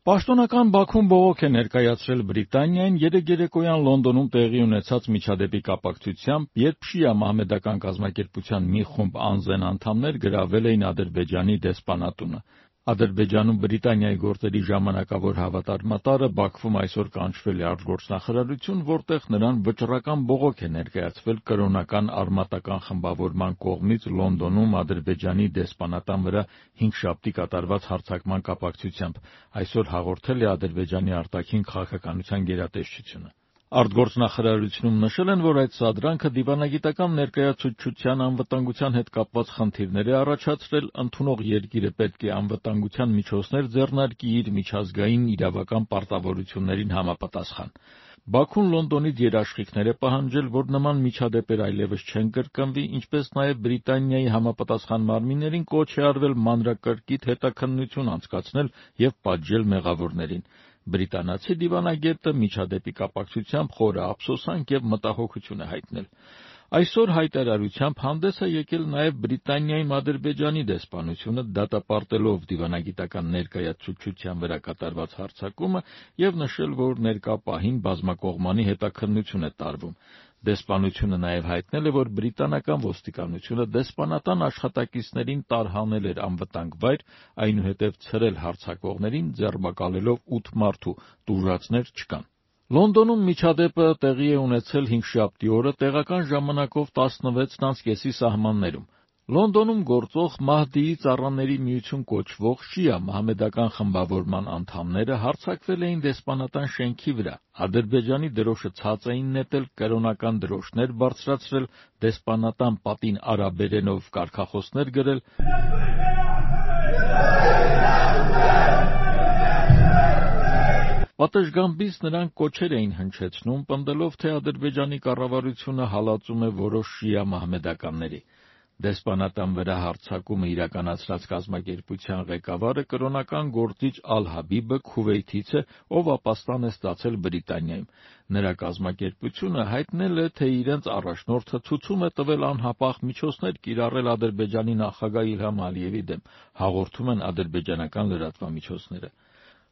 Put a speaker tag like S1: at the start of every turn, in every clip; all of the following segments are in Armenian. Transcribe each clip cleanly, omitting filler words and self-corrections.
S1: Պաշտոնական Բաքուն բողոք է ներկայացրել Բրիտանիային երեկոյան Լոնդոնում տեղի ունեցած միջադեպի կապակցությամբ, երբ շիա մահմեդական կազմակերպության մի խումբ անզեն անդամներ գրավել էին Ադրբեջանի դեսպանատունը։ Ադրբեջանում Բրիտանիայի գործերի ժամանակավոր հավատարմատարը Բաքվում այսօր կանչվել է արտգործնախարարություն, որտեղ նրան վճռական բողոք է ներկայացվել կրոնական արմատական խմբավորման կողմից Լոնդոնում Ադրբեջանի դեսպանատան վրա հինգշաբթի կատարված հարձակման կապակցությամբ, այսօր հաղորդել է Ադրբեջանի արտաքին քաղաքականության գերատեսչությունը։ Արտգործնախարարությունում նշել են, որ այդ սադրանքը դիվանագիտական ներկայացուցչության անվտանգության հետ կապված խնդիրներ է առաջացրել, ընդունող երկիրը պետք է անվտանգության միջոցներ ձեռնարկի իր միջազգային իրավական պարտավորություններին համապատասխան։ Բաքուն Լոնդոնից երաշխիքներ է պահանջել, որ նման միջադեպեր այլևս չեն կրկնվի, ինչպես նաև Բրիտանիայի համապատասխան մարմիններին կոչ է արվել մանրակրկիտ հետաքննություն անցկացնել և պատժել մեղավորներին։ Բրիտանացի դիվանագետը միջադեպի կապակցությամբ խորը ափսոսանք և մտահոգություն է հայտնել։ Այսօր հայտարարությամբ հանդես է եկել նաև Բրիտանիայում Ադրբեջանի դեսպանությունը, դատապարտելով դիվանագիտական ներկայացուցչության վրա կատարված հարձակումը և նշել, որ ներկա պահին բազմակողմանի հետաքննություն է տարվում։ Դեսպանությունը նաև հայտնել է, որ բրիտանական ոստիկանությունը դեսպանատան աշխատակիցներին տարհանել էր անվտանգ վայր, այնուհետև ցրել հարձակվողներին, ձերբակալելով 8 մարդու, տուժածներ չկան։ Լոնդոնում միջադեպը տեղի է ունեցել հինգշաբթի օրը տեղական ժամանակով 16:30-ի սահմաններում։ Լոնդոնում գործող Մահդիի ծառաների միություն կոչվող շիա մահմեդական խմբավորման անդամները հարձակվել էին դեսպանատան շենքի վրա, Ադրբեջանի դրոշը ցած էին նետել, կրոնական դրոշներ բարձրացրել, դեսպանատան պատին արաբերենով կարգախոսներ գրել։ Պատշգամբից նրանք կոչեր էին հնչեցնում, պնդելով, թե Ադրբեջանի կառավարությունը հալածում է որոշ շիա մահմեդականների։ Դեսպանատան վրա հարձակումը իրականացրած կազմակերպության ղեկավարը կրոնական գործիչ Ալ-Հաբիբը Քուվեյթից է, ով ապաստան է ստացել Բրիտանիայում։ Նրա կազմակերպությունը հայտնել է, թե իրենց առաջնորդը ցուցում է տվել անհապաղ միջոցներ կիրառել Ադրբեջանի նախագահ Իլհամ Ալիևի դեմ, հաղորդում են ադրբեջանական լրատվամիջոցները։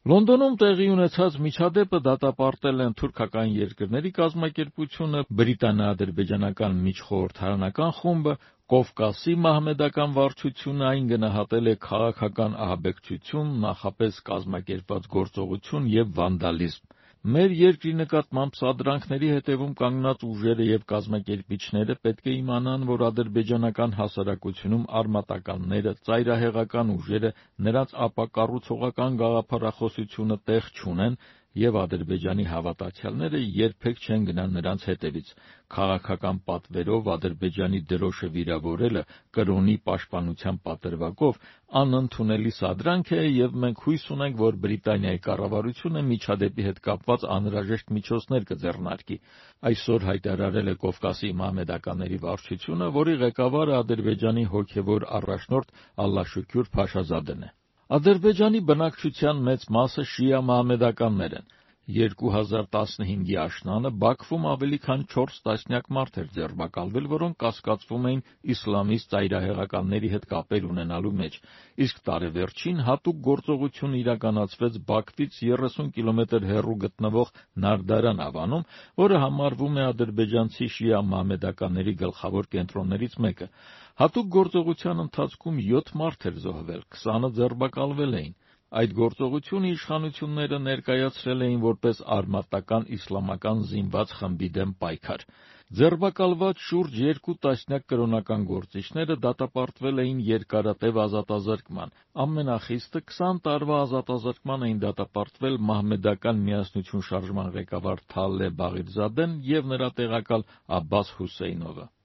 S1: Լոնդոնում տեղի ունեցած միջադեպը դատապարտել են թուրքական երկրների կազմակերպությունը, բրիտանա-ադրբեջանական միջխորհրդարանական խումբը, Կովկասի մահմեդական վարչությունը, այն գնահատել է քաղաքական ահաբեկչություն, նախապես կազմակերպված գործողություն և վանդալիզմ։ Մեր երկրի նկատմամբ սադրանքների հետևում կանգնած ուժերը և կազմակերպիչները պետք է իմանան, որ ադրբեջանական հասարակությունում արմատականները, ծայրահեղական ուժերը, նրանց ապակառուցողական գաղափարախոսությունը տեղ չունեն, և Ադրբեջանի հավատացյալները երբեք չեն գնա նրանց հետևից։ Քաղաքական պատվերով Ադրբեջանի դրոշը վիրավորելը կրոնի պաշտպանության պատրվակով անընդունելի սադրանք է, և մենք հույս ունենք, որ Բրիտանիայի կառավարությունը միջադեպի հետ կապված անհրաժեշտ միջոցներ կձեռնարկի։ Այսօր հայտարարել է Կովկասի մահմեդականների վարչությունը, որի ղեկավարը Ադրբեջանի հոգևոր առաջնորդ Ալլաշուքյուր Փաշազադեն է։ Ադրբեջանի բնակչության մեծ մասը շիա մահմեդականներ են։ 2015-ի աշնանը Բաքվում ավելի քան 4 տասնյակ մարդ էր ձերբակալվել, որոնք կասկածվում էին իսլամիստ ծայրահեղականների հետ կապեր ունենալու մեջ, իսկ տարեվերջին հատուկ գործողություն իրականացվեց Բաքվից 30 կիլոմետր հեռու գտնվող Նարդարան ավանում, որը համարվում է ադրբեջանցի շիա մահմեդականների գլխավոր կենտրոններից մեկը։ Հատուկ գործողության ընթացքում 7 մարդ էր զոհվել, 20-ը ձերբակալվել էին։ Այդ գործողությունը իշխանությունները ներկայացրել էին որպես արմատական իսլամական զինված խմբի դեմ պայքար։ Ձերբակալված շուրջ 2 տասնյակ կրոնական գործիչները դատապարտվել էին երկարատև ազատազրկման։ Ամենախիստը 20 տարվա ազատազրկման էին դատապարտվել Մահմեդական միասնություն շարժման ղեկավար Թալե Բաղիրզադեն և նրա տեղակալ Աբբաս Հուսեյնովը։